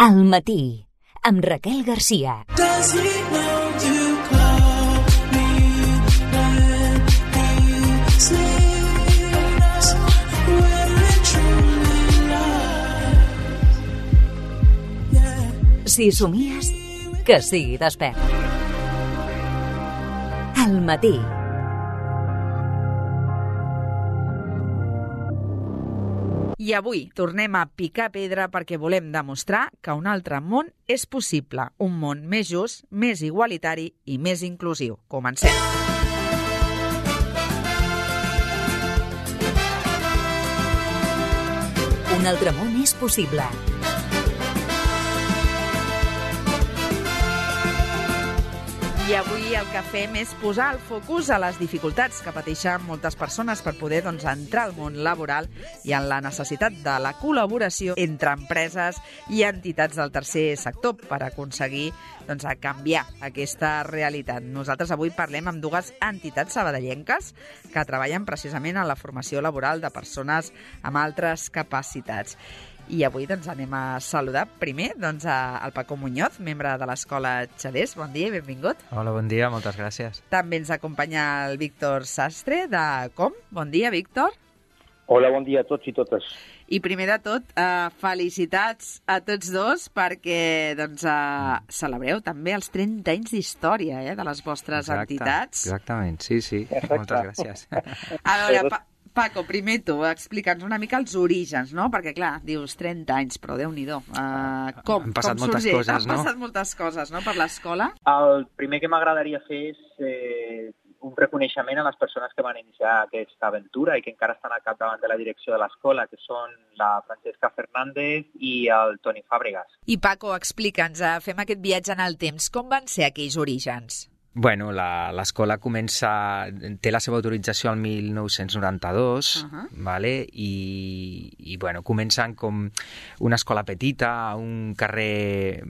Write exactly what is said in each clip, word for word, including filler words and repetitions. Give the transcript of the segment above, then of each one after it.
Al matí, amb Raquel Garcia. Si somies, que sigui despert. Al matí. I avui tornem a picar pedra perquè volem demostrar que un altre món és possible, un món més just, més igualitari i més inclusiu. Comencem! Un altre món és possible. I avui el que fem és posar el focus a les dificultats que pateixen moltes persones per poder doncs, entrar al món laboral i en la necessitat de la col·laboració entre empreses i entitats del tercer sector per aconseguir doncs, a canviar aquesta realitat. Nosaltres avui parlem amb dues entitats sabadellenques que treballen precisament en la formació laboral de persones amb altres capacitats. I avui doncs, anem a saludar primer doncs, a, al Paco Muñoz, membre de l'Escola Xadés. Bon dia i benvingut. Hola, bon dia, moltes gràcies. També ens acompanya el Víctor Sastre, de Com. Bon dia, Víctor. Hola, bon dia a tots i totes. I primer de tot, eh, felicitats a tots dos perquè doncs, eh, celebreu també els trenta anys d'història eh, de les vostres Exacte, entitats. Exactament, sí, sí. Exacte. Moltes gràcies. A veure, pa Paco, primer tu, explica'ns una mica els orígens, no? Perquè, clar, dius trenta anys, però Déu-n'hi-do. Uh, com, Han passat com moltes sorgeix? coses, no? Han passat moltes coses, no?, per l'escola. El primer que m'agradaria fer és eh, un reconeixement a les persones que van iniciar aquesta aventura i que encara estan al capdavant de la direcció de l'escola, que són la Francesca Fernández i el Toni Fàbregas. I Paco, explica'ns, uh, fem aquest viatge en el temps. Com van ser aquells orígens? Bueno, l'escola comença, té la seva autorització al mil nou-cents noranta-dos, uh -huh. vale? I, i bueno, comencen com una escola petita, un carrer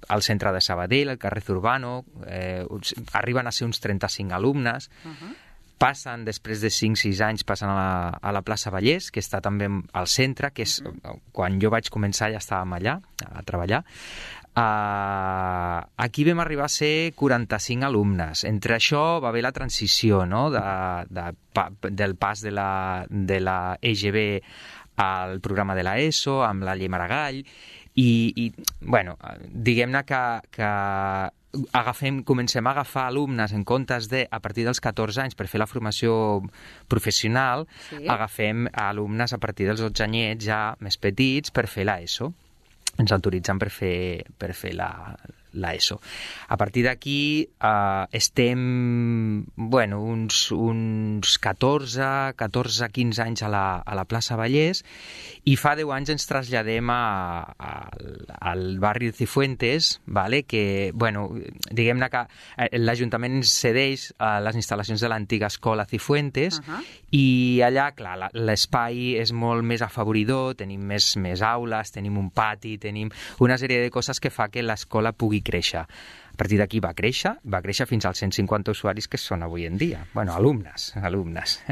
al centre de Sabadell, el carrer Zurbano, eh, arriben a ser uns trenta-cinc alumnes, uh -huh. passen, després de cinc sis anys, passen a la, a la plaça Vallès, que està també al centre, que és, uh-huh. quan jo vaig començar ja estàvem allà a treballar. Uh, aquí vam arribar a ser quaranta-cinc alumnes. Entre això va haver la transició, no?, de, de, del pas de la, de la E G B al programa de la ESO, amb la llei Maragall, i, i bueno, diguem-ne que, que agafem, comencem a agafar alumnes en comptes de, a partir dels catorze anys, per fer la formació professional, sí. Agafem alumnes a partir dels dotze anyets ja més petits per fer la ESO. Ens autoritzen per fer, per fer la, la ESO. A partir d'aquí eh, estem bueno, uns, uns catorze, quinze anys a la, a la plaça Vallès i fa deu anys ens traslladem a, a, al barri de Cifuentes, vale? Que, bueno, diguem-ne que l'Ajuntament ens cedeix a les instal·lacions de l'antiga escola Cifuentes, uh-huh. i allà, clar, l'espai és molt més afavoridor, tenim més, més aules, tenim un pati, tenim una sèrie de coses que fa que l'escola pugui créixer. A partir d'aquí va créixer, va créixer fins als cent cinquanta usuaris que són avui en dia. Bueno, alumnes, alumnes.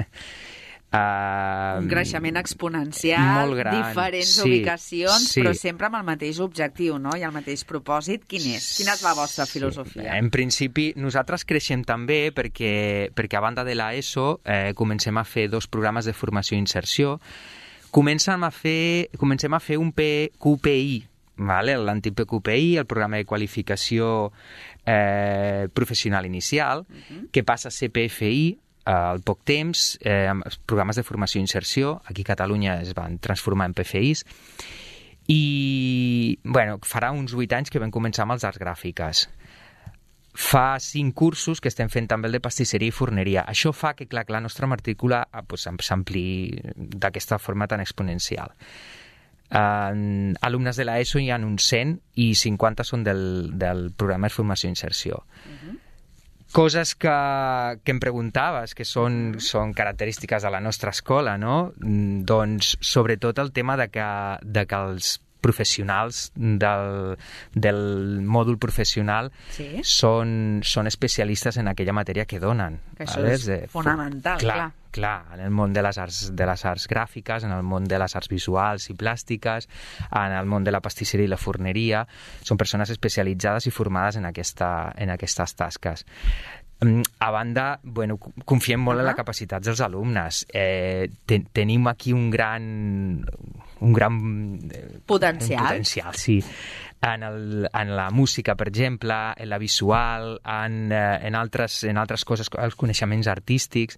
Uh, un creixement exponencial, molt gran, diferents sí, ubicacions, sí. però sempre amb el mateix objectiu, no?, i el mateix propòsit. Quin és? Quina és la vostra filosofia? Sí. En principi, nosaltres creixem també perquè, perquè a banda de la ESO eh, comencem a fer dos programes de formació i inserció. Comencem a fer, comencem a fer un Q P I, vale? L'antic P Q P I, el programa de qualificació eh, professional inicial, uh-huh. que passa a ser P F I al poc temps, eh, amb programes de formació i inserció. Aquí a Catalunya es van transformar en P F Is. I, bueno, farà uns vuit anys que vam començar amb les arts gràfiques. Fa cinc cursos que estem fent també el de pastisseria i forneria. Això fa que, clar, que la nostra matrícula pues, s'ampli d'aquesta forma tan exponencial. Uh, alumnes de la ESO hi ha uns cent i cinquanta són del, del programa de formació i inserció. Uh-huh. Coses que, que em preguntaves, que són, uh-huh. són característiques de la nostra escola, no? Doncs sobretot el tema de que, de que els professionals del, del mòdul professional sí. són, són especialistes en aquella matèria que donen. Que això vale? és de, fonamental, clar. clar. clar, en el món de les arts, de les arts gràfiques, en el món de les arts visuals i plàstiques, en el món de la pastisseria i la forneria. Són persones especialitzades i formades en, aquesta, en aquestes tasques. A banda, bueno, confiem molt uh-huh. en la capacitat dels alumnes. Eh, ten, tenim aquí un gran... un gran... Potencial. Un potencial, sí. En, el, en la música, per exemple, en la visual, en, en, altres, en altres coses, els coneixements artístics.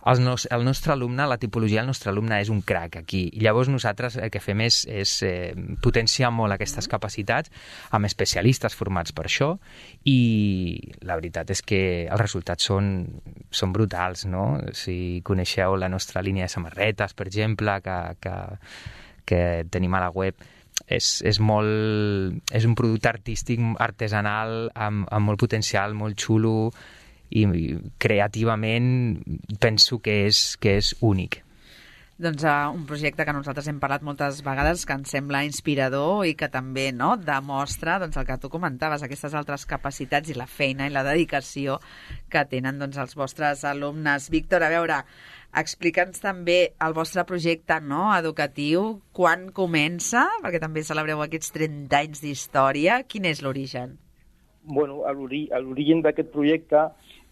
El, nos, el nostre alumne, la tipologia del nostre alumne és un crac aquí. I llavors nosaltres el que fem és, és eh, potenciar molt aquestes capacitats amb especialistes formats per això, i la veritat és que els resultats són, són brutals, no? Si coneixeu la nostra línia de samarretes, per exemple, que, que, que tenim a la web, és, és, molt, és un producte artístic artesanal amb, amb molt potencial, molt xulo, i creativament penso que és, que és únic. Doncs uh, un projecte que nosaltres hem parlat moltes vegades, que ens sembla inspirador i que també, no, demostra doncs, el que tu comentaves, aquestes altres capacitats i la feina i la dedicació que tenen doncs, els vostres alumnes. Víctor, a veure, explica'ns també el vostre projecte, no, educatiu, quan comença, perquè també celebreu aquests trenta anys d'història. Quin és l'origen? Bueno, l'origen d'aquest projecte,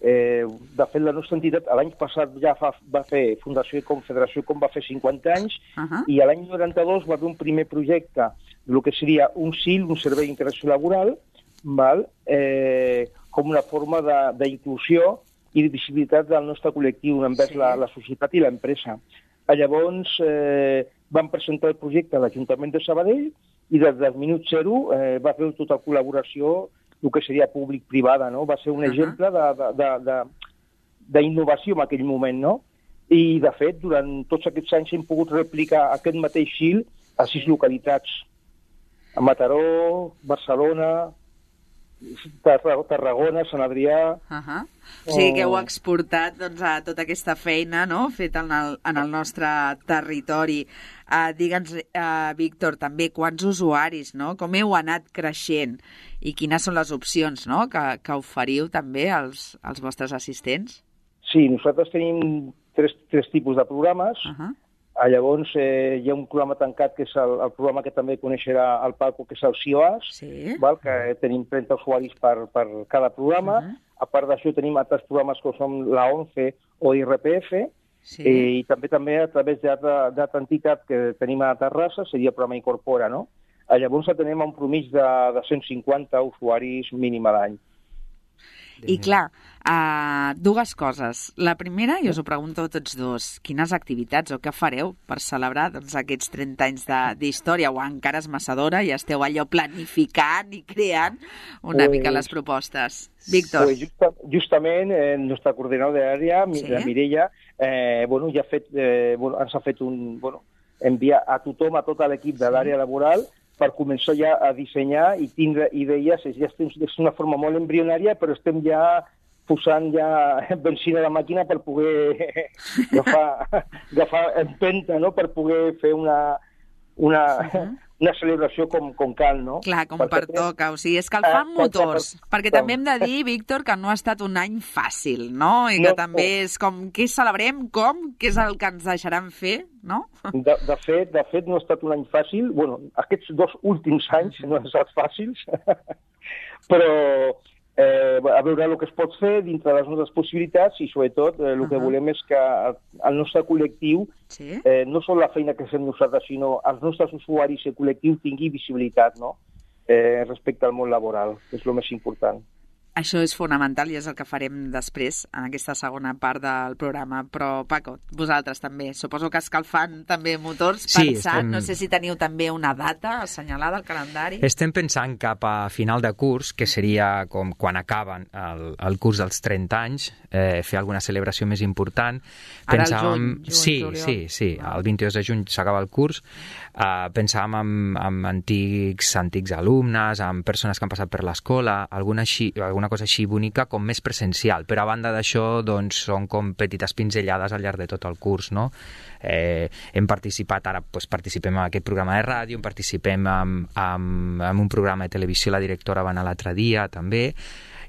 eh, de fet, la nostra entitat l'any passat ja fa, va fer Fundació i Confederació com va fer cinquanta anys, uh-huh. i l'any noranta-dos va fer un primer projecte, el que seria un S I L, un Servei d'Integració Laboral, val? Eh, com una forma d'inclusió i de visibilitat del nostre col·lectiu envers sí. la, la societat i l'empresa. Llavors, eh, vam presentar el projecte a l'Ajuntament de Sabadell i des del minut zero eh, va fer tota col·laboració el que seria públic-privada, no? Va ser un uh-huh. exemple d'innovació en aquell moment, no? I, de fet, durant tots aquests anys hem pogut replicar aquest mateix S I L a sis localitats. A Mataró, Barcelona, Tarragona, Sant Adrià... Uh-huh. O sigui que heu exportat doncs, a tota aquesta feina, no?, feta en el, en el nostre territori. Uh, Digue'ns, uh, Víctor, també quants usuaris, no?, com heu anat creixent i quines són les opcions, no?, que, que oferiu també als, als vostres assistents? Sí, nosaltres tenim tres, tres tipus de programes. Uh-huh. Llavors, eh, hi ha un programa tancat, que és el, el programa que també coneixerà el Paco, que és el C I O A S, sí. val? Que tenim trenta usuaris per, per cada programa. Uh-huh. A part d'això, tenim altres programes com són la ONCE o I R P F, sí. eh, i també també a través d'altra entitat que tenim a Terrassa, seria el programa Incorpora, no? Llavors tenim un promís de, de cent cinquanta usuaris mínim a l'any. I clar, uh, dues coses. La primera, i us ho pregunto a tots dos, quines activitats o què fareu per celebrar doncs, aquests trenta anys d'història, o encara és massa d'hora i esteu allò planificant i creant una pues, mica les propostes? Víctor. Pues justa, justament, eh, el nostre coordinador d'àrea, sí? la Mireia, eh, bueno, ja ha fet, eh, bueno, ens ha fet un... Bueno, enviar a tothom, a tot l'equip de l'àrea laboral, per començar ja a dissenyar i tindre idees. Ja estem, és una forma molt embrionària, però estem ja posant ja benzina a la màquina per poder agafar, agafar empenta, no?, per poder fer una, una, uh-huh. una celebració com, com cal, no? Clar, com perquè pertoca, o sigui, escalfant ah, motors, per... perquè com... també hem de dir, Víctor, que no ha estat un any fàcil, no? I que no, també no. és com, què celebrem, com, què és el que ens deixaran fer, no? De, de, fet, de fet, no ha estat un any fàcil. Bueno, aquests dos últims anys no han estat fàcils, però eh, a veure el que es pot fer dintre de les nostres possibilitats i, sobretot, eh, el uh-huh. que volem és que el nostre col·lectiu, sí? eh, no sol la feina que fem nosaltres, sinó els nostres usuaris i el col·lectiu tingui visibilitat, no?, eh, respecte al món laboral, que és el més important. Això és fonamental i és el que farem després, en aquesta segona part del programa. Però, Paco, vosaltres també, suposo que escalfant també motors, sí, pensant, estem... no sé si teniu també una data assenyalada al calendari. Estem pensant cap a final de curs, que seria com quan acaben el, el curs dels trenta anys, eh, fer alguna celebració més important. Ara pensàvem... el juny, juny, sí, juliol. Sí, sí, el vint-i-dos de juny s'acaba el curs. Uh, pensàvem en, en antics, antics alumnes, en persones que han passat per l'escola, alguna així, alguna una cosa així bonica, com més presencial. Però a banda d'això, doncs, són com petites pinzellades al llarg de tot el curs, no? Eh, hem participat, ara doncs, participem en aquest programa de ràdio, participem en, en, en un programa de televisió, la directora va anar l'altre dia, també,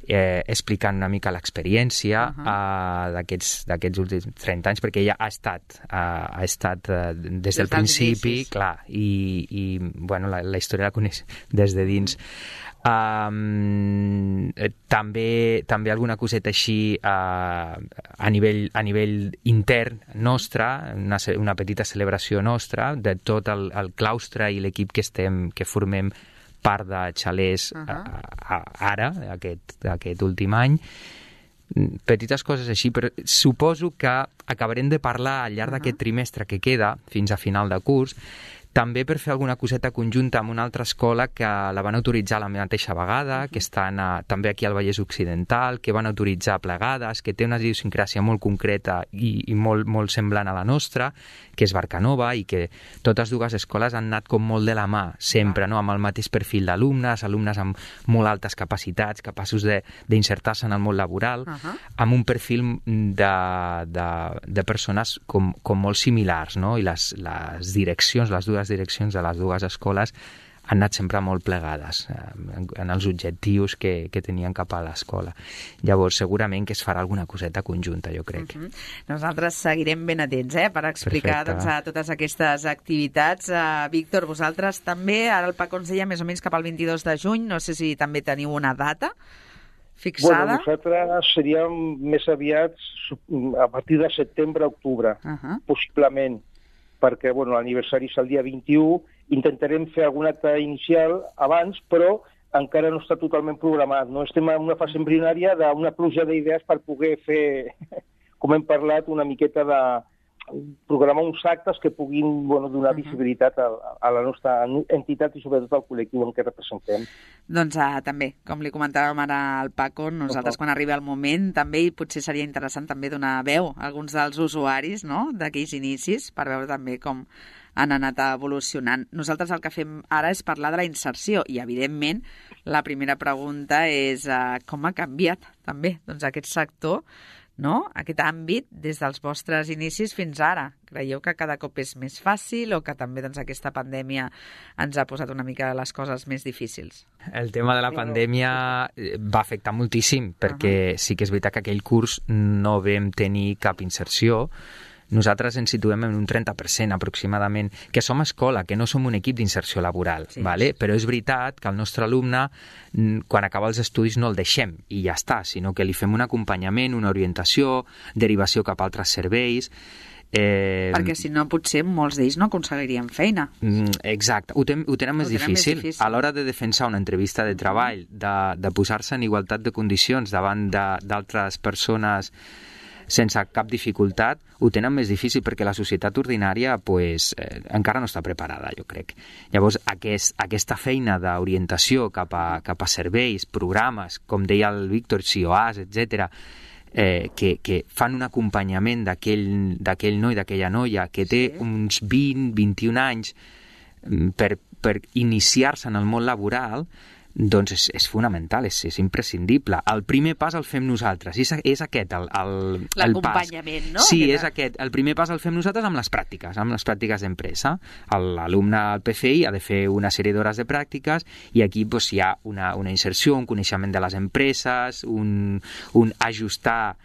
eh, explicant una mica l'experiència Uh-huh. uh, d'aquests d'aquests últims trenta anys, perquè ella ha estat, uh, ha estat uh, des, Des del dels principi, inicis. clar, i, i bueno, la, la història la coneix des de dins. Um, eh, també, també alguna coseta així uh, a, nivell, a nivell intern nostre, una, ce- una petita celebració nostra de tot el, el claustre i l'equip que estem, que formem part de xalers Uh-huh. a, a, ara, aquest, aquest últim any. Mm, petites coses així, però suposo que acabarem de parlar al llarg Uh-huh. d'aquest trimestre que queda, fins a final de curs, també per fer alguna coseta conjunta amb una altra escola que la van autoritzar la mateixa vegada, que estan a, també aquí al Vallès Occidental, que van autoritzar plegades, que té una idiosincràsia molt concreta i, i molt, molt semblant a la nostra, que és Barcanova, i que totes dues escoles han anat com molt de la mà, sempre, no? Amb el mateix perfil d'alumnes, alumnes amb molt altes capacitats, capaços de- d'insertar-se en el món laboral, Uh-huh. amb un perfil de, de, de persones com, com molt similars, no? I les, les direccions, les dues direccions de les dues escoles han anat sempre molt plegades eh, en, en els objectius que, que tenien cap a l'escola. Llavors, segurament que es farà alguna coseta conjunta, jo crec. Uh-huh. Nosaltres seguirem ben atents eh, per explicar Perfecte. doncs, a totes aquestes activitats. Uh, Víctor, vosaltres també, ara el Paco ens deia més o menys cap al vint-i-dos de juny, no sé si també teniu una data fixada. Bueno, nosaltres seríem més aviat a partir de setembre-octubre, Uh-huh. possiblement, perquè bueno, l'aniversari és el dia vint-i-u, intentarem fer algun acte inicial abans, però encara no està totalment programat. No estem en una fase embrionària d'una pluja d'idees per poder fer, com hem parlat, una miqueta de programar uns actes que puguin bueno, donar Uh-huh. visibilitat a, a la nostra entitat i sobretot al col·lectiu en què representem. Doncs uh, també, com li comentàvem ara al Paco, nosaltres Uh-huh. quan arribi el moment també i potser seria interessant també donar veu a alguns dels usuaris no? d'aquells inicis per veure també com han anat evolucionant. Nosaltres el que fem ara és parlar de la inserció i, evidentment, la primera pregunta és uh, com ha canviat també doncs, aquest sector, no? Aquest àmbit des dels vostres inicis fins ara. Creieu que cada cop és més fàcil o que també doncs, aquesta pandèmia ens ha posat una mica les coses més difícils? El tema de la pandèmia eh, va afectar moltíssim, perquè sí que és veritat que aquell curs no vam tenir cap inserció. Nosaltres ens situem en un trenta per cent aproximadament, que som escola, que no som un equip d'inserció laboral, Sí. vale? Però és veritat que el nostre alumne, mm, quan acaba els estudis, no el deixem i ja està, sinó que li fem un acompanyament, una orientació, derivació cap a altres serveis. Eh, Perquè si no, potser molts d'ells no aconseguirien feina. Mm, Exacte, ho, ten, ho tenen més Ho tenen més difícil. difícil. A l'hora de defensar una entrevista de treball, de, de posar-se en igualtat de condicions davant de- d'altres persones sense cap dificultat, ho tenen més difícil perquè la societat ordinària pues, eh, encara no està preparada, jo crec. Llavors, aquest, aquesta feina d'orientació cap a, cap a serveis, programes, com deia el Víctor, C I O As, etcètera, eh, que, que fan un acompanyament d'aquell d'aquell noi, d'aquella noia, que té Sí. uns vint, vint-i-un anys mm, per, per iniciar-se en el món laboral, doncs és, és fonamental, és, és imprescindible. El primer pas el fem nosaltres, és, és aquest el, el, el pas. L'acompanyament, no? Sí, Aquest- és aquest. El primer pas el fem nosaltres amb les pràctiques, amb les pràctiques d'empresa. L'alumne al P F I ha de fer una sèrie d'hores de pràctiques i aquí doncs, hi ha una, una inserció, un coneixement de les empreses, un, un ajustar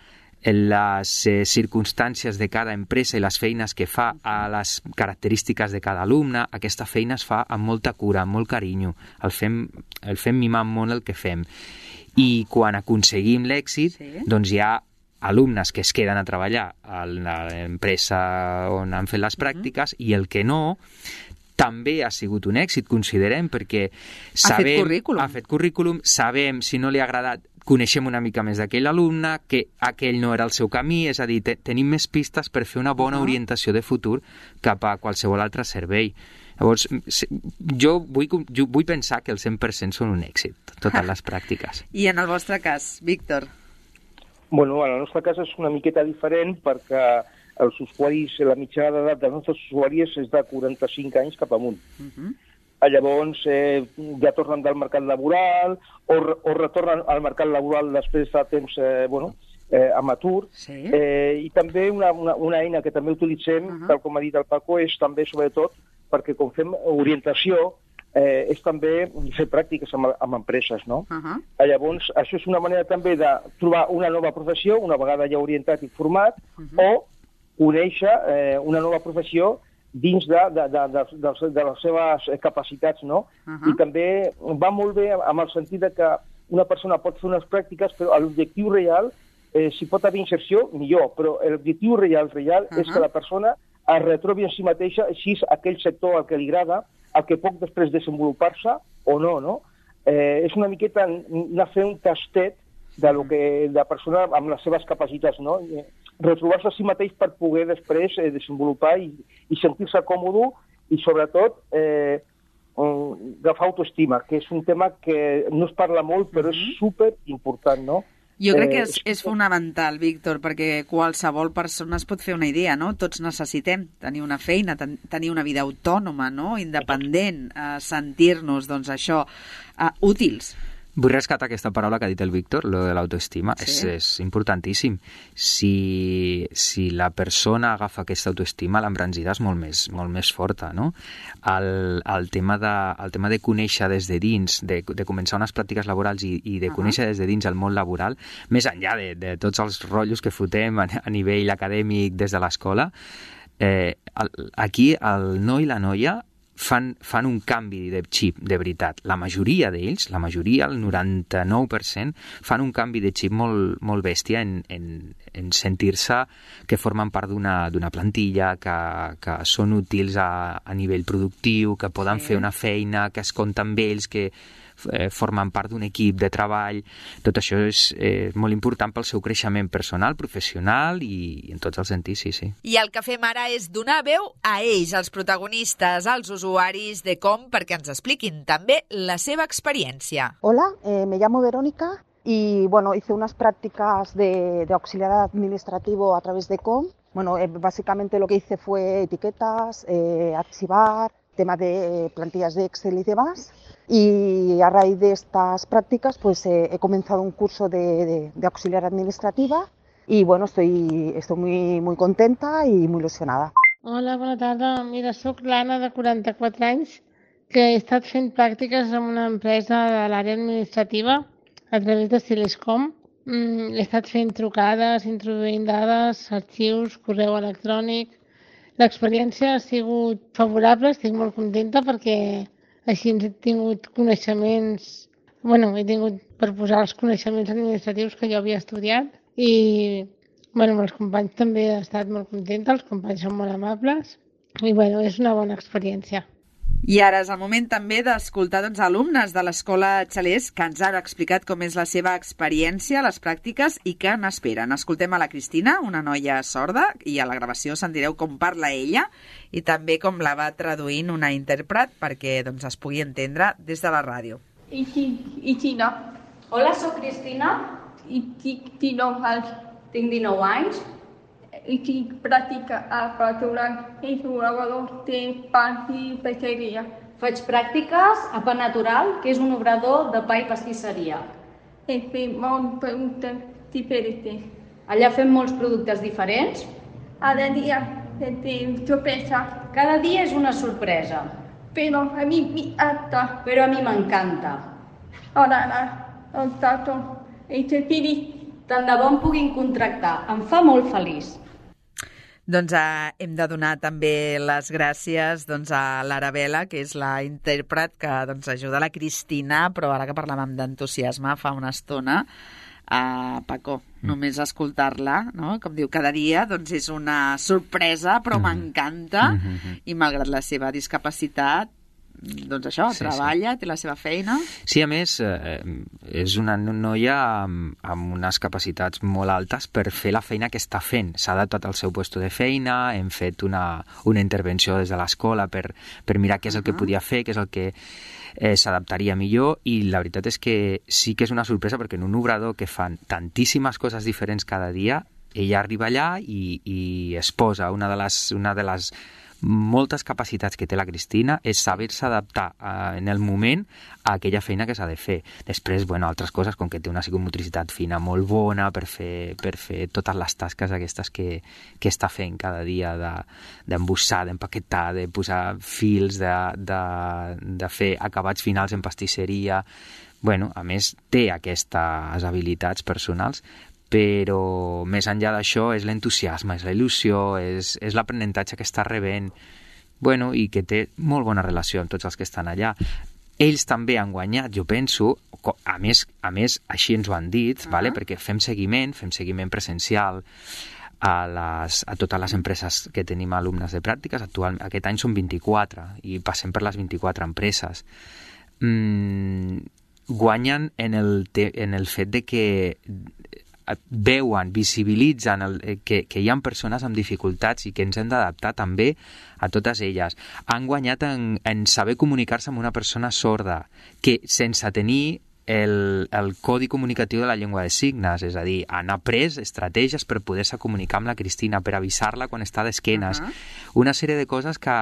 les eh, circumstàncies de cada empresa i les feines que fa a les característiques de cada alumne. Aquesta feina es fa amb molta cura, amb molt carinyo. El fem, el fem mimant molt el que fem. I quan aconseguim l'èxit, Sí. doncs hi ha alumnes que es queden a treballar a l'empresa on han fet les pràctiques i el que no també ha sigut un èxit, considerem, perquè sabem... currículum. Ha fet currículum, sabem si no li ha agradat, coneixem una mica més d'aquell alumne, que aquell no era el seu camí, és a dir, te, tenim més pistes per fer una bona Uh-huh. orientació de futur cap a qualsevol altre servei. Llavors, se- jo vull, jo vull pensar que el cent per cent són un èxit, totes les pràctiques. I en el vostre cas, Víctor? Bueno, en el nostre cas és una miqueta diferent perquè els usuaris, la mitjana d'edat dels nostres usuaris és de quaranta-cinc anys cap amunt. Uh -huh. Llavors eh, ja tornen del mercat laboral o, o retornen al mercat laboral després de temps eh, bueno, eh, amb atur. Sí. Eh, I també una, una, una eina que també utilitzem, Uh-huh. tal com ha dit el Paco, és també sobretot perquè com fem orientació, eh, és també fer pràctiques amb, amb empreses, no? Uh-huh. Llavors, això és una manera també de trobar una nova professió, una vegada ja orientat i format, uh-huh. o conèixer eh, una nova professió dins de, de, de, de, de, de les seves capacitats, no? Uh-huh. I també va molt bé amb el sentit de que una persona pot fer unes pràctiques, però l'objectiu real, eh, si pot haver inserció, millor, però l'objectiu real, real uh-huh. és que la persona es retrobi en si mateixa, si és aquell sector al que li agrada, el que pot després desenvolupar-se o no, no? Eh, és una miqueta anar a fer un tastet de lo que la persona amb les seves capacitats, no? Retrobar-se a si mateix per poder després eh, desenvolupar i, i sentir-se còmode i, sobretot, eh, agafar autoestima, que és un tema que no es parla molt, però és super important, no? Jo crec que és, és fonamental, Víctor, perquè qualsevol persona es pot fer una idea, no? Tots necessitem tenir una feina, ten tenir una vida autònoma, no? Independent, eh, sentir-nos, doncs això, eh, útils. Vull rescatar aquesta paraula que ha dit el Víctor, lo de l'autoestima. Sí. És, és importantíssim. Si, si la persona agafa aquesta autoestima, l'embranzida és molt més, molt més forta, no? El, el, tema de, el tema de conèixer des de dins, de, de començar unes pràctiques laborals i, i de uh-huh. conèixer des de dins el món laboral, més enllà de, de tots els rotllos que fotem a, a nivell acadèmic des de l'escola, eh, el, aquí el noi i la noia Fan, fan un canvi de xip, de veritat. La majoria d'ells, la majoria, el noranta-nou per cent, fan un canvi de xip molt, molt bèstia en, en, en sentir-se que formen part d'una plantilla, que, que són útils a, a nivell productiu, que poden sí. fer una feina, que es compta amb ells, que eh, formen part d'un equip de treball. Tot això és eh, molt important pel seu creixement personal, professional i, i en tots els sentits, sí, sí. I el que fem ara és donar veu a ells, als protagonistes, als usuaris de Com, perquè ens expliquin també la seva experiencia. Hola, eh, me llamo Verónica y bueno, hice unas prácticas de, de auxiliar administrativo a través de Com. Bueno, eh, básicamente lo que hice fue etiquetas, eh, archivar, tema de eh, plantillas de Excel y demás. Y a raíz de estas prácticas pues eh, he comenzado un curso de, de, de auxiliar administrativa y bueno, estoy, estoy muy, muy contenta y muy ilusionada. Hola, bona tarda. Mira, soc l'Anna, de quaranta-quatre anys, que he estat fent pràctiques en una empresa de l'àrea administrativa a través de Siliscom. Mm, he estat fent trucades, introduint dades, arxius, correu electrònic. L'experiència ha sigut favorable, estic molt contenta perquè així he tingut coneixements, bueno, he tingut per posar els coneixements administratius que jo havia estudiat i bueno, amb els companys també he estat molt contenta, els companys són molt amables i bueno, és una bona experiència. I ara és el moment també d'escoltar doncs, alumnes de l'Escola Xalers que ens han explicat com és la seva experiència, les pràctiques i què n'esperen. Escoltem a la Cristina, una noia sorda, i a la gravació sentireu com parla ella i també com la va traduint una intèrpret perquè doncs, es pugui entendre des de la ràdio. I, i Tina. Hola, soc Cristina. I tinc dinou anys. Tinc dinou anys. I tinc pràctica al restaurant i obrador de pa i pastisseria. Faig pràctiques a Pa Natural, que és un obrador de pa i pastisseria. He fet molts productes diferents. Allà fem molts productes diferents. Cada dia fem sorpresa. Cada dia és una sorpresa. Però a mi m'encanta. Però a mi m'encanta. Ara, ara, el tato, i te feliç. Tant de bo em puguin contractar. Em fa molt feliç. Doncs eh, hem de donar també les gràcies doncs, a l'Arabela, que és la intèrpret que doncs, ajuda la Cristina, però ara que parlàvem d'entusiasme fa una estona, a uh, Paco, mm. només escoltar-la, no? Com diu, cada dia doncs, és una sorpresa, però m'encanta, mm -hmm. mm -hmm. i malgrat la seva discapacitat, doncs això, sí, treballa, sí. Té la seva feina. Sí, a més, eh, és una noia amb, amb unes capacitats molt altes per fer la feina que està fent. S'ha adaptat al seu lloc de feina, hem fet una, una intervenció des de l'escola per, per mirar què és el que podia fer, què és el que eh, s'adaptaria millor, i la veritat és que sí que és una sorpresa perquè en un obrador que fan tantíssimes coses diferents cada dia, ella arriba allà i, i es posa una de les, una de les moltes capacitats que té la Cristina és saber-se adaptar eh, en el moment a aquella feina que s'ha de fer. Després, bueno, altres coses, com que té una psicomotricitat fina molt bona per fer, per fer totes les tasques aquestes que, que està fent cada dia d'embossar, de, d'empaquetar, de posar fils, de, de, de fer acabats finals en pastisseria. Bueno, a més, té aquestes habilitats personals, però més enllà d'això és l'entusiasme, és la il·lusió, és, és l'aprenentatge que està rebent, bueno, i que té molt bona relació amb tots els que estan allà. Ells també han guanyat, jo penso, a més, a més així ens ho han dit, uh-huh. vale? Perquè fem seguiment, fem seguiment presencial a, les, a totes les empreses que tenim alumnes de pràctiques. Actualment, aquest any són vint-i-quatre i passem per les vint-i-quatre empreses. Mm, guanyen en el, te, en el fet de que veuen, visibilitzen el, que, que hi ha persones amb dificultats i que ens hem d'adaptar també a totes elles. Han guanyat en, en saber comunicar-se amb una persona sorda, que sense tenir el, el codi comunicatiu de la llengua de signes, és a dir, han après estratègies per poder-se comunicar amb la Cristina, per avisar-la quan està d'esquenes. Uh-huh. Una sèrie de coses que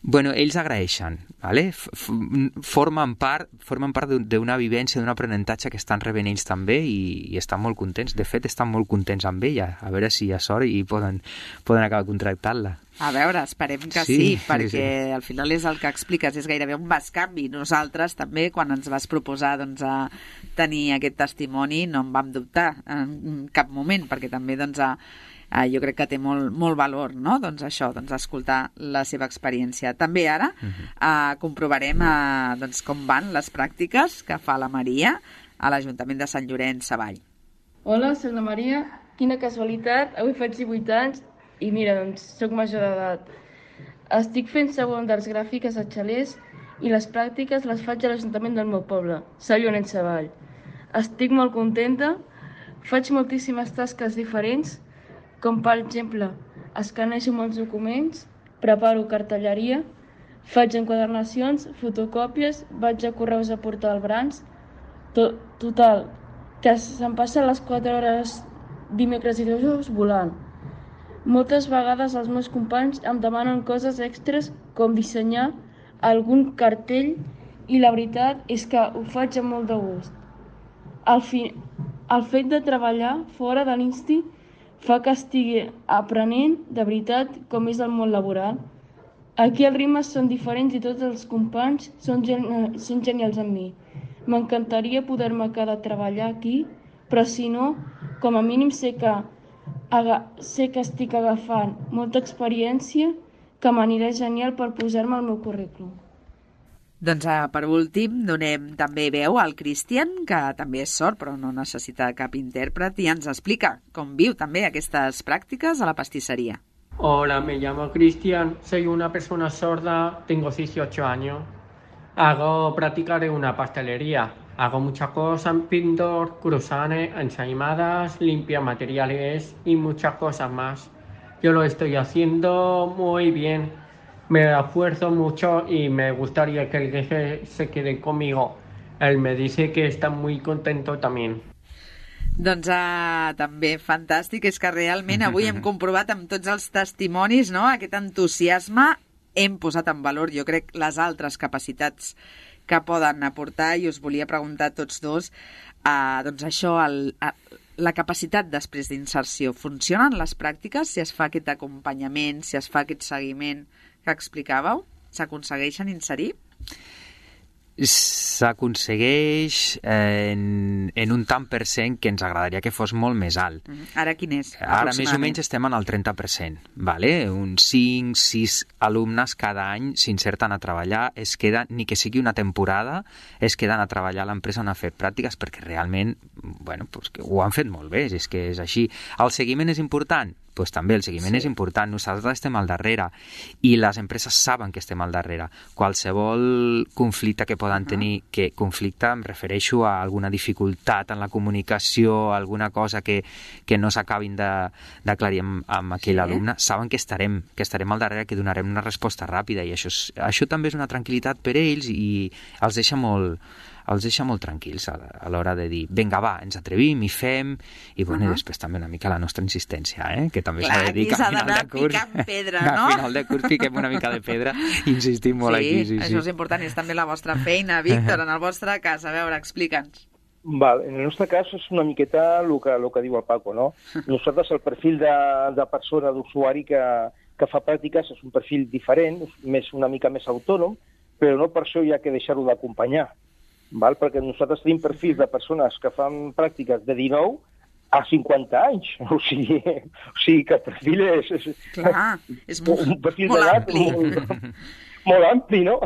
bueno, ells agraeixen, ¿vale? formen part, formen part d'una vivència, d'un aprenentatge que estan rebent ells també i, i estan molt contents. De fet, estan molt contents amb ella. A veure si hi ha sort i poden, poden acabar contractant-la. A veure, esperem que sí, sí perquè sí, sí. Al final és el que expliques, és gairebé un bescanvi. Nosaltres també, quan ens vas proposar doncs, a tenir aquest testimoni, no en vam dubtar en cap moment, perquè també doncs, a Uh, jo crec que té molt, molt valor, no? Doncs això, doncs escoltar la seva experiència. També ara uh-huh. uh, comprovarem uh, doncs, com van les pràctiques que fa la Maria a l'Ajuntament de Sant Llorenç Savall. Hola, soc la Maria. Quina casualitat, avui faig divuit anys i mira, doncs, soc major d'edat. Estic fent segon d'arts gràfiques a Xalers i les pràctiques les faig a l'Ajuntament del meu poble, Sant Llorenç Savall. Estic molt contenta, faig moltíssimes tasques diferents, com per exemple, escanejo molts documents, preparo cartelleria, faig enquadernacions, fotocòpies, vaig a correus a portar el Brans. To- total, que se'm passen les quatre hores dimecres i dijous volant. Moltes vegades els meus companys em demanen coses extres com dissenyar algun cartell i la veritat és que ho faig amb molt de gust. El, fi... el fet de treballar fora de l'Insti fa que estigui aprenent de veritat com és el món laboral. Aquí els ritmes són diferents i tots els companys són, gen són genials amb mi. M'encantaria poder-me quedar a treballar aquí, però si no, com a mínim sé que, sé que estic agafant molta experiència que m'anirà genial per posar-me al meu currículum. Doncs uh, per últim donem també veu al Cristian, que també és sord però no necessita cap intèrpret i ens explica com viu també aquestes pràctiques a la pastisseria. Hola, me llamo Cristian, soy una persona sorda, tengo dieciocho años. Hago prácticas en una pastelería. Hago muchas cosas, pintor, cruzanes, ensaimadas, limpia materiales y muchas cosas más. Yo lo estoy haciendo muy bien. Me esfuerzo mucho y me gustaría que el jefe se quede conmigo. Él me dice que está muy contento también. Doncs uh, també fantàstic, és que realment avui hem comprovat amb tots els testimonis, no?, aquest entusiasme, hem posat en valor, jo crec, les altres capacitats que poden aportar i us volia preguntar a tots dos, uh, doncs això, el, uh, la capacitat després d'inserció, funcionen les pràctiques si es fa aquest acompanyament, si es fa aquest seguiment que explicàveu? S'aconsegueixen inserir? S'aconsegueix en, en un tant per cent que ens agradaria que fos molt més alt. Mm. Ara quin és? Ara més o menys estem en el trenta per cent. Vale? Uns cinc sis alumnes cada any s'inserten a treballar, es queden, ni que sigui una temporada, es queden a treballar a l'empresa on han fet pràctiques perquè realment bueno, pues que ho han fet molt bé, és que és així. El seguiment és important? Pues també el seguiment sí. és important, nosaltres estem al darrere i les empreses saben que estem al darrere. Qualsevol conflicte que poden uh -huh. tenir, que conflicte em refereixo a alguna dificultat en la comunicació, alguna cosa que, que no s'acabin d'aclarir amb, amb aquell sí. alumne, saben que estarem, que estarem al darrere, que donarem una resposta ràpida i això, és, això també és una tranquil·litat per ells i els deixa molt els deixa molt tranquils a, a l'hora de dir, vinga, va, ens atrevim, hi fem, i, bueno, uh -huh. i després també una mica la nostra insistència, eh? Que també s'ha de dir que a final de curs... picant pedra, no? A final de curs piquem una mica de pedra i insistim molt sí, aquí. Sí, això sí, és important, és també la vostra feina, Víctor, en el vostre cas. A veure, explica'ns. Val, en el nostre cas és una miqueta el que, el que diu el Paco, no? Nosaltres el perfil de, de persona, d'usuari que, que fa pràctiques és un perfil diferent, més una mica més autònom, però no per això hi ha que deixar-ho d'acompanyar, val? Perquè nosaltres tenim perfils de persones que fan pràctiques de dinou a cinquanta anys, o sigui, o sigui que el perfil és... és Clar, és molt, un perfil molt ampli. Molt, molt ampli, no?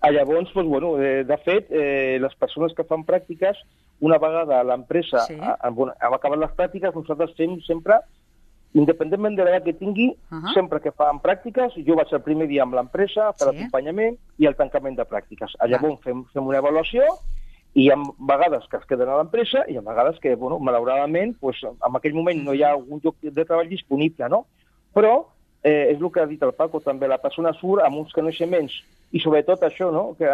Llavors, doncs, bueno, de, de fet, eh, les persones que fan pràctiques, una vegada l'empresa sí. ha, ha, ha acabat les pràctiques, nosaltres fem sempre, independentment de l'edat que tingui, uh -huh. sempre que fan pràctiques, jo vaig el primer dia amb l'empresa per sí. l'acompanyament i el tancament de pràctiques. Llavors fem, fem una avaluació i hi ha vegades que es queden a l'empresa i hi ha vegades que, bueno, malauradament, pues, en aquell moment no hi ha un lloc de treball disponible, no? Però eh, és el que ha dit el Paco, també la persona surt amb uns coneixements i sobretot això, no?, que,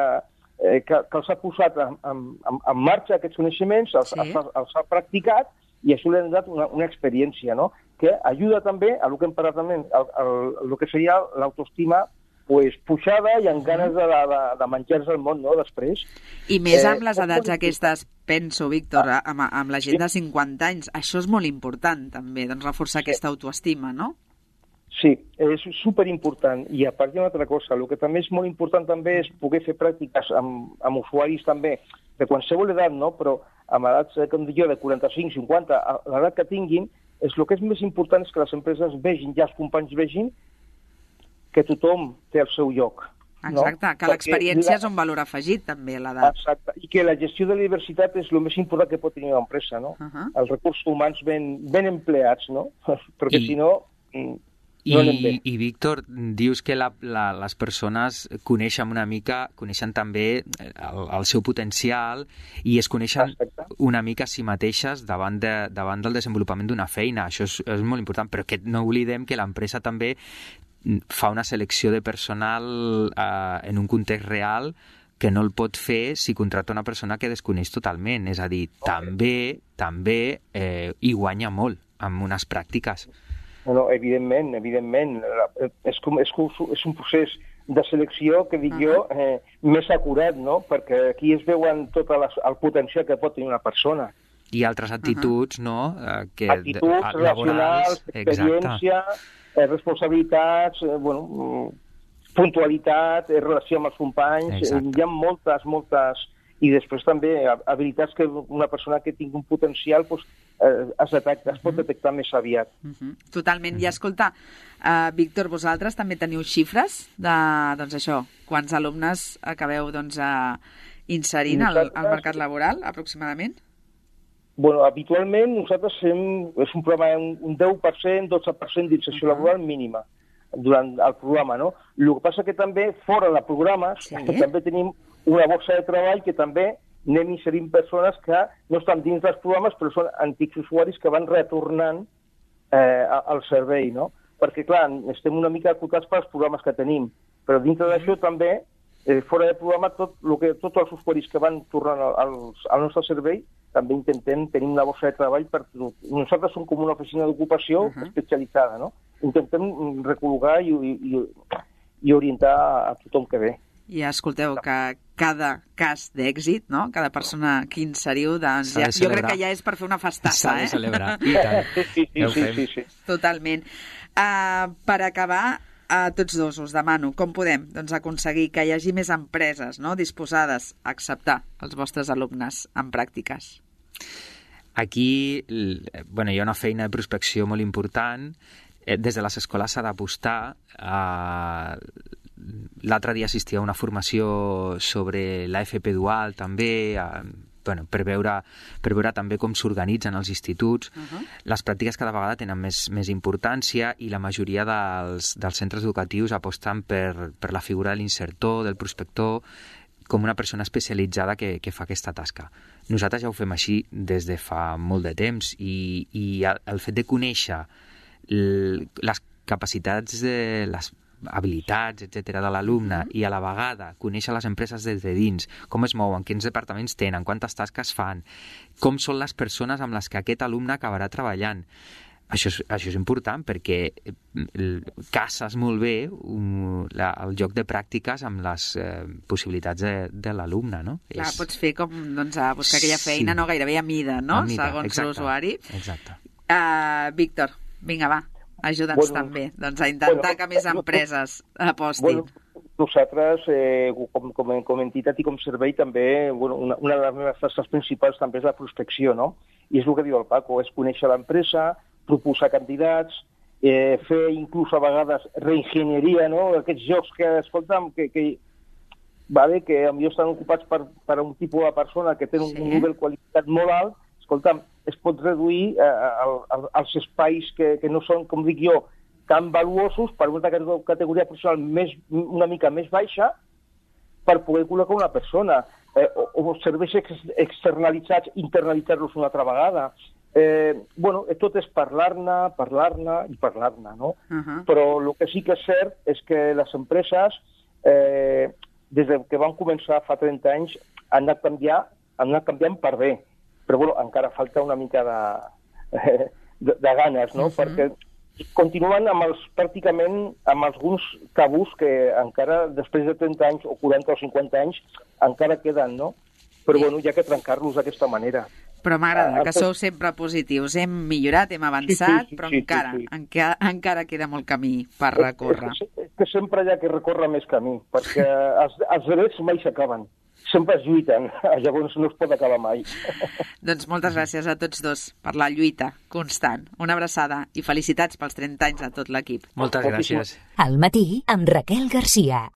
eh, que, que els ha posat en, en, en marxa aquests coneixements, els, sí. els, els ha practicat i això li ha donat una, una experiència, no?, que ajuda també a el que hem parlat també, el que seria l'autoestima pues, pujada i amb ganes de, de, de menjar-se el món, no?, després. I més amb les edats aquestes, penso, Víctor, amb, amb la gent de cinquanta anys, això és molt important també, doncs reforçar aquesta autoestima, no? Sí, és superimportant. I a part hi ha una altra cosa, el que també és molt important també és poder fer pràctiques amb, amb usuaris també de qualsevol edat, no?, però amb edats, com dic jo, de quaranta-cinc, cinquanta, l'edat que tinguin, és el que és més important és que les empreses vegin, ja els companys vegin, que tothom té el seu lloc. Exacte, no? Que l'experiència és un valor afegit també a l'edat. Exacte, i que la gestió de la diversitat és el més important que pot tenir una empresa, no? Uh -huh. Els recursos humans ben, ben empleats, no? Perquè I... si no... No I, I, Víctor, dius que la, la, les persones coneixen una mica, coneixen també el, el seu potencial i es coneixen Exacte. una mica a si mateixes davant, de, davant del desenvolupament d'una feina. Això és, és molt important, però que no oblidem que l'empresa també fa una selecció de personal eh, en un context real que no el pot fer si contracta una persona que desconeix totalment. És a dir, okay. també, també eh, hi guanya molt amb unes pràctiques. No, evidentment, evidentment. És, com, és, és un procés de selecció que dic uh -huh. jo eh, més acurat, no? Perquè aquí es veuen tot les, el potencial que pot tenir una persona. I altres actituds, uh -huh. no? Eh, que, actituds relacionals, experiència, eh, responsabilitats, eh, bueno, puntualitat, eh, relació amb els companys, eh, hi ha moltes, moltes... I després també habilitats que una persona que tingui un potencial pues, eh, es, detecta, es pot detectar més aviat. Uh-huh. Totalment. I escolta, uh, Víctor, vosaltres també teniu xifres de, doncs això, quants alumnes acabeu doncs, uh, inserint al, al mercat laboral, aproximadament? Bueno, habitualment nosaltres fem, és un programa un deu per cent, dotze per cent d'inserció uh-huh. laboral mínima durant el programa, no? El que passa que també, fora de programes, sí. també tenim una borsa de treball que també anem inserint persones que no estan dins dels programes però són antics usuaris que van retornant eh, al servei, no? Perquè, clar, estem una mica acotats pels programes que tenim, però dintre d'això també, eh, fora de programa, tot lo que, tots els usuaris que van tornant al, al nostre servei també intentem tenir una borsa de treball per tot. Nosaltres som com una oficina d'ocupació uh-huh. especialitzada, no? Intentem recol·locar i, i, i orientar a tothom que ve. I escolteu, que cada cas d'èxit, no? Cada persona que inseriu, doncs ja, jo crec que ja és per fer una festassa, eh? S'ha de celebrar, i tant. Sí, sí, sí, sí, sí. Totalment. Uh, per acabar, a tots dos us demano, com podem doncs, aconseguir que hi hagi més empreses, no?, disposades a acceptar els vostres alumnes en pràctiques? Aquí, bueno, hi ha una feina de prospecció molt important. Des de les escoles s'ha d'apostar a... L'altre dia assistia a una formació sobre l'A F P dual també, a, bueno, per, veure, per veure també com s'organitzen els instituts. Uh-huh. Les pràctiques cada vegada tenen més, més importància i la majoria dels, dels centres educatius aposten per, per la figura de l'insertor, del prospector, com una persona especialitzada que, que fa aquesta tasca. Nosaltres ja ho fem així des de fa molt de temps i, i el, el fet de conèixer l, les capacitats de les habilitats, etcètera de l'alumne, i a la vegada conèixer les empreses des de dins, com es mouen, quins departaments tenen, quantes tasques fan, com són les persones amb les que aquest alumne acabarà treballant. Això és, això és important perquè cases molt bé um, la, el joc de pràctiques amb les eh, possibilitats de, de l'alumne, no? Clar, és... pots fer com doncs, a buscar aquella feina, sí. no gairebé a mida, no? A mida, segons exacte, l'usuari. Exacte. Uh, Víctor, vinga, va, ajuda'ns bueno, també doncs, a intentar bueno, que més empreses apostin. Bueno, nosaltres, eh, com, com, com a entitat i com servei, també, bueno, una, una de les meves tasques principals també és la prospecció, no? I és el que diu el Paco, és conèixer l'empresa, proposar candidats, eh, fer inclús a vegades reenginyeria, no? Aquests jocs que, escolta'm, que, que, vale, que potser estan ocupats per, per un tipus de persona que té un, sí. un nivell de qualitat molt alt, escolta'm, es pot reduir eh, als espais que, que no són, com dic jo, tan valuosos per una categoria professional més, una mica més baixa per poder col·locar una persona. Eh, o, o serveis ex, externalitzats, internalitzar-los una altra vegada. Eh, bueno, tot és parlar-ne, parlar-ne i parlar-ne, no? Uh-huh. Però el que sí que és cert és que les empreses, eh, des que van començar fa trenta anys, han anat, canviar, han anat canviant per bé. Però bueno, encara falta una mica de, eh, de, de ganes, no? Uh-huh. Perquè continuen amb els, pràcticament amb alguns tabús que encara, després de trenta anys o quaranta o cinquanta anys, encara queden, no? Però bueno, hi ha que trencar-los d'aquesta manera. Però m'agrada, que sou sempre positius. Hem millorat, hem avançat, sí, sí, sí, però sí, encara, sí, sí. Encara, encara queda molt camí per recórrer. És que, que sempre hi ha que recórrer més camí, perquè els, els drets mai s'acaben. Sempre es lluiten, llavors no es pot acabar mai. Doncs moltes gràcies a tots dos per la lluita constant. Una abraçada i felicitats pels trenta anys a tot l'equip. Moltes gràcies. Al matí amb Raquel Garcia.